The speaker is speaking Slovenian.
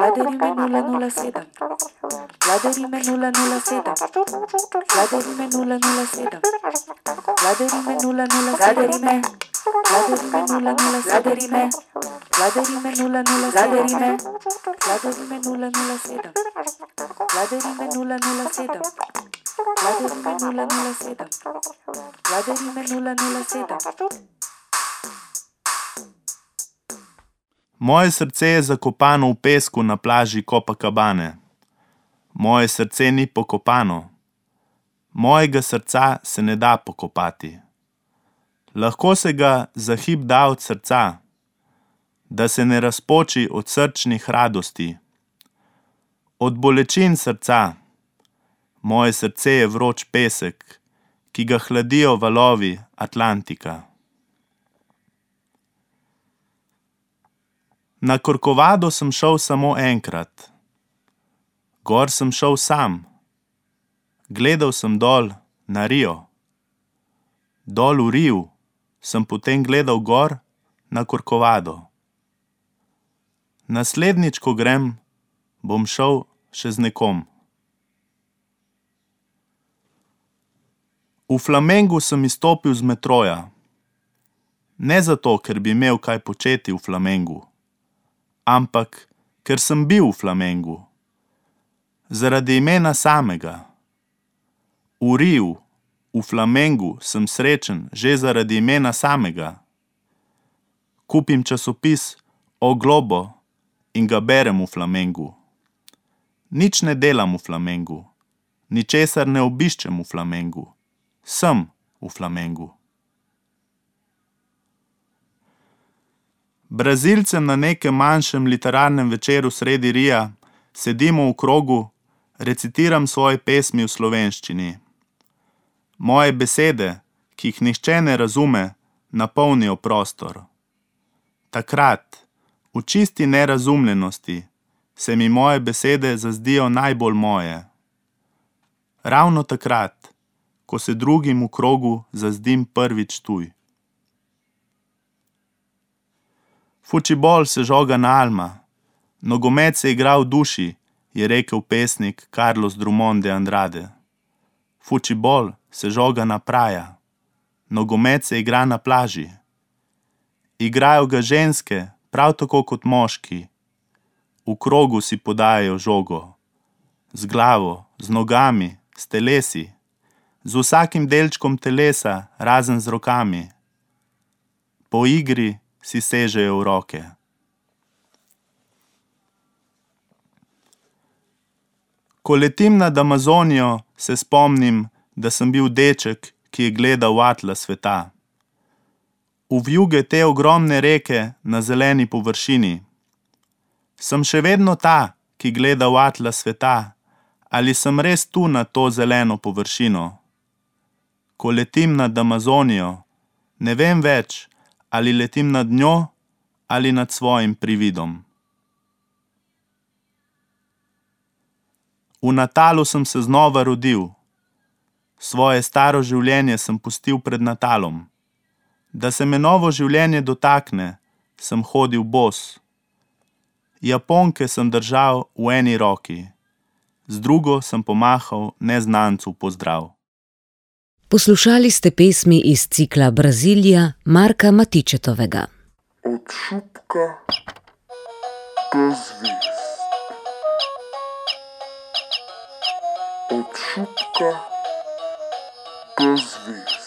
Vladarime 007. Vladarime 007. Vladarime 007. Vladarime 007. Vladarime 007. Vladarime 007. Vladarime 007. Vladarime 007. Vladarime 007. Vladarime 007. Moje srce je zakopano v pesku na plaži Copacabane. Moje srce ni pokopano. Mojega srca se ne da pokopati. Lahko se ga za hip da od srca, da se ne razpoči od srčnih radosti. Od bolečin srca. Moje srce je vroč pesek, ki ga hladijo valovi Atlantika. Na Corcovado sem šel samo enkrat. Gor sem šel sam. Gledal sem dol na Rio. Dol v Riu sem potem gledal gor na Corcovado. Naslednjič, ko grem, bom šel še z nekom. V Flamengu sem izstopil z metroja. Ne zato, ker bi imel kaj početi v Flamengu, ampak ker sem bil v Flamengu. Zaradi imena samega. V Riu, v Flamengu sem srečen že zaradi imena samega. Kupim časopis O Globo in ga berem v Flamengu. Nič ne delam v Flamengu, ničesar ne obiščem v Flamengu. Sem v Flamengu. Brazilcem na nekem manjšem literarnem večeru sredi Rija sedimo v krogu, recitiram svoje pesmi v slovenščini. Moje besede, ki jih nihče ne razume, napolnijo prostor. Takrat, v čisti nerazumljenosti, se mi moje besede zazdijo najbolj moje. Ravno takrat, ko se drugim v krogu zazdim prvič tuj. Fučibol se žoga na alma, nogomet se igra v duši, je rekel pesnik Carlos Drummond de Andrade. Fučibol se žoga na praja, nogomet se igra na plaži. Igrajo ga ženske, prav tako kot moški. V krogu si podajajo žogo. Z glavo, z nogami, s telesi. Z vsakim delčkom telesa, razen z rokami. Po igri si sežejo v roke. Ko letim nad Amazonijo, se spomnim, da sem bil deček, ki je gledal atlas sveta. V vjuge te ogromne reke na zeleni površini. Sem še vedno ta, ki gleda v atlas sveta, ali sem res tu na to zeleno površino? Ko letim nad Amazonijo, ne vem več, ali letim nad njo ali nad svojim prividom. V Natalu sem se znova rodil. Svoje staro življenje sem pustil pred Natalom. Da se me novo življenje dotakne, sem hodil bos. Japonke sem držal v eni roki. Z drugo sem pomahal neznancu pozdrav. Poslušali ste pesmi iz cikla Brazilija Marka Matičetovega. Od šupka do zvezd. Od šupka do zvezd.